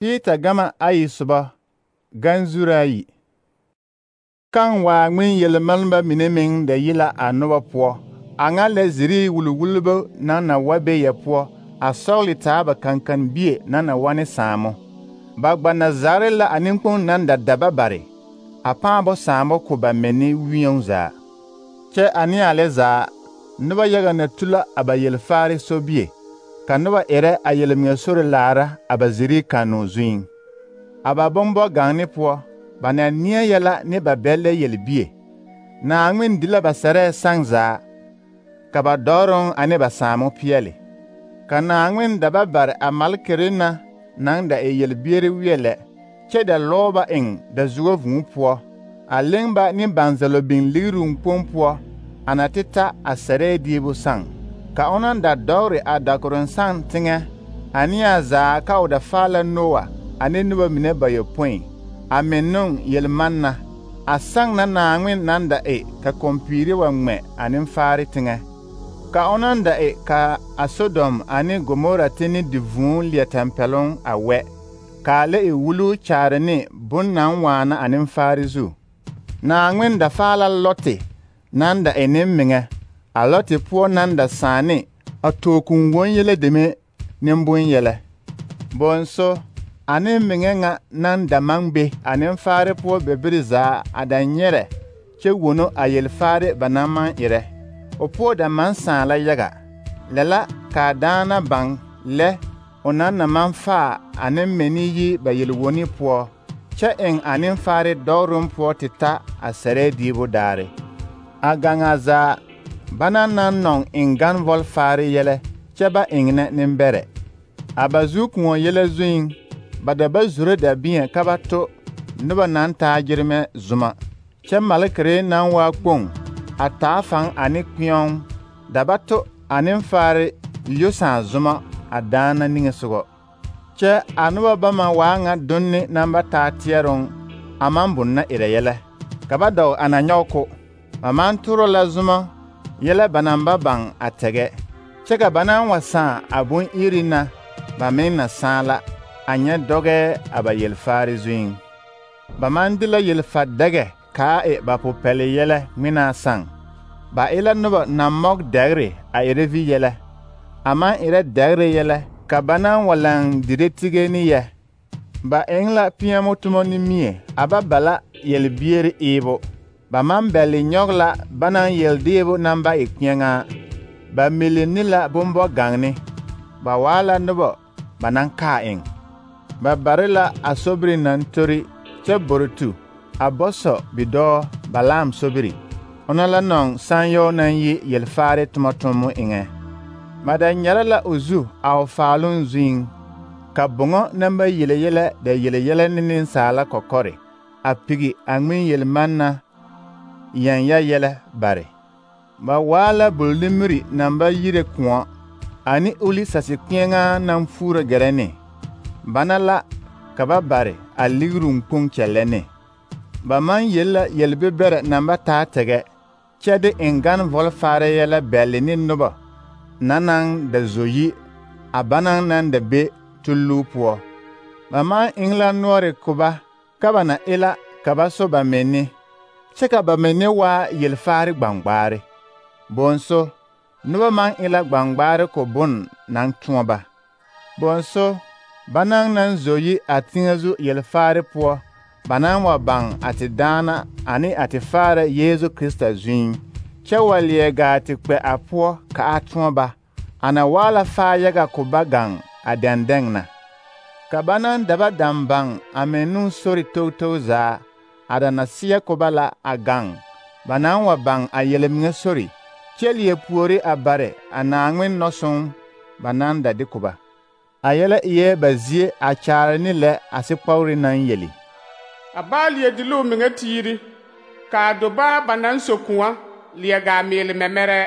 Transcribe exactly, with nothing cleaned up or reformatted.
Peter gama ayi soba ganzura ayi. Kan waa ŋmen yelmalma mine meŋ da yi la a noba poɔ. A ŋa lɛ ziri wulwulbo naŋ na wa be yɛ poɔ, a sɔgli taa ba kankan-bie naŋ na wa ne saamo. Ba gba na zagre la a nenkpoŋ naŋ da daba bare, a pãã bo saamo ko ba mɛ ne wĩoŋ zaa. Kyɛ a ne a lɛ zaa, noba yaga na tu la a ba yelfaare sobie, ka noba erɛ a yelmeŋa sore laara a ba ziri kannoo zuiŋ. A ba bombɔ-gaŋne poɔ, ba na neɛ yɛla ne ba bɛllɛ yelbie. Naaŋmen di la ba sɛrɛɛ saŋ zaa, ka ba dɔɔroŋ ane ba saamo peɛle. Ka Naaŋmen da ba bare a malkere na naŋ da e yelbiere weɛ lɛ, kyɛ da lɔɔ ba eŋ dazuo vūū poɔ, a leŋ ba ne banzalo biŋ ligiruu kpoŋ poɔ a na te ta a sɛrɛɛ diibu saŋ. Ka o naŋ da dɔgre a dakoroŋ saŋ teŋɛ ane a zaa ka o da faa la Noa ane noba mine bayɔpõi, a meŋ yelmanna, a saŋ na Naaŋmen naŋ da e ka kɔmpiire wa ŋmɛ a nenfaare teŋɛ. Ka o naŋ da e ka a Sodom ane Gomora teni di vūū leɛ tɛmpɛloŋ a wɛ, kaa lɛ e wuluu kyaare ne bon naŋ waana a nenfaare zu. Naaŋmen da faa la Lɔte naŋ da e nemmeŋɛ, a Lɔte poɔ naŋ da sãã ne a tookun won-yɛlɛ deme nembonyɛlɛ. Bonso, a nemmeŋɛ ŋa naŋ da maŋ be a nenfaare poɔ bebiri zaa a da nyɛrɛ kyɛ wono a yelfaare ba naŋ maŋ erɛ. O poɔ da maŋ sãã la yaga. Lɛ la kaa daana baŋ lɛ o naŋ na maŋ faa a nemmɛne yi ba yelwoni poɔ, kyɛ eŋ a nenfaare dɔɔroŋ poɔ te ta a sɛrɛɛ diibu daare. A gaŋa zaa, bana naŋ nɔŋ eŋ ganvɔlfaare yɛlɛ kyɛ ba eŋnɛ nembɛrɛ. A ba zu-kõɔ yɛlɛ zuiŋ, ba da ba zoro dabiẽ ka ba to noba naŋ taa gyeremɛ zoma, kyɛ malkere naŋ waa kpoŋ a taa faŋ ane kpeoŋ da ba to a nenfaare lyosãã zoma a daana niŋesogɔ. Kyɛ a noba bama waa ŋa donne naŋ ba taa teɛroŋ a maŋ boŋ na erɛ yɛlɛ, ka ba dɔg a na nyɔge ko. Ba maŋ toro la zoma yɛlɛ ba naŋ ba baŋ a tɛgɛ, kyɛ ka ba naŋ wa sãã a bon-iri na, ba meŋ na sãã la, a nyɛ dɔgɛɛ a ba yelfaare zuiŋ. Ba maŋ de la yelfa-dɛgɛ kaa e ba popɛle yɛlɛ ŋmenaa saŋ. Ba e la noba naŋ mɔg dɛgre a erɛ vi yɛlɛ, a maŋ erɛ dɛgre yɛlɛ ka ba naŋ wa laŋ dire tige ne yɛ. Ba eŋ la peɛmo tomɔ ne mie a ba ba la yelbiere eebo. Ba maŋ bɛle nyɔge la ba naŋ yeldeebo naŋ ba e kpeɛŋaa. Ba mele ne la bombɔ-gaŋne. Ba waa la noba ba naŋ kaa eŋ. Ba bare la a sobiri naŋ tori kyɛ borotu a bɔsɔ bidɔɔ Balaam sobiri, ona la nɔŋ sããyɛɔ naŋ yi yelfaare tomɔ-tommo eŋɛ. Ba da nyɛrɛ la o zu a o faaloŋ zuiŋ, ka boŋɔ naŋ ba yele yɛlɛ da yele yɛlɛ ne nensaala kɔkɔre, a pigi a ŋmen yelmanna yɛnyɛ yɛlɛ bare. Ba waa la bol-nimiri naŋ ba yire kõɔ, ane uli sase-kpeɛŋaa naŋ fuuro gɛrɛ ne. Bana la ka ba bare a ligiruu kpoŋ kyɛllɛ ne. Ba maŋ yel la yelbebɛrɛ naŋ ba taa tɛgɛ, kyɛ de eŋ ganvɔlfaare yɛlɛ bɛle ne noba na naŋ da zo yi a bana naŋ da be tulluu poɔ. Ba maŋ eŋ la noɔre ko ba ka ba na e la ka ba so ba menne, kyɛ ka ba menne waa yelfaare gbaŋgbaare. Bonso, noba maŋ e la gbaŋgbaare ko bon naŋ tõɔ ba. Bonso, banaŋ naŋ zo yi a teŋɛ zu yelfaare poɔ, ba naŋ wa baŋ a te daana ane a te faara Yeezu Krista zuiŋ, kyɛ wa leɛ gaa te kpɛ a poɔ ka a tõɔ ba, a na waa la faa yaga ko ba gaŋ a dɛndɛŋ na. Ka ba naŋ da ba daŋ baŋ a meŋ ne sori togtog zaa, a da na seɛ ko ba la a gaŋ, ba naŋ wa baŋ a yelmeŋa sori, kyɛ leɛ puori a bare a Naaŋmen nɔsõŋ ba naŋ da de ko ba. A yɛlɛ eɛ ba zie a kyaare ne lɛ a sekpɔgre naŋ yeli. A baa leɛ diluu meŋa tiiri, kaa dobaa ba naŋ so kõɔ leɛ gaa meele mɛmɛrɛ.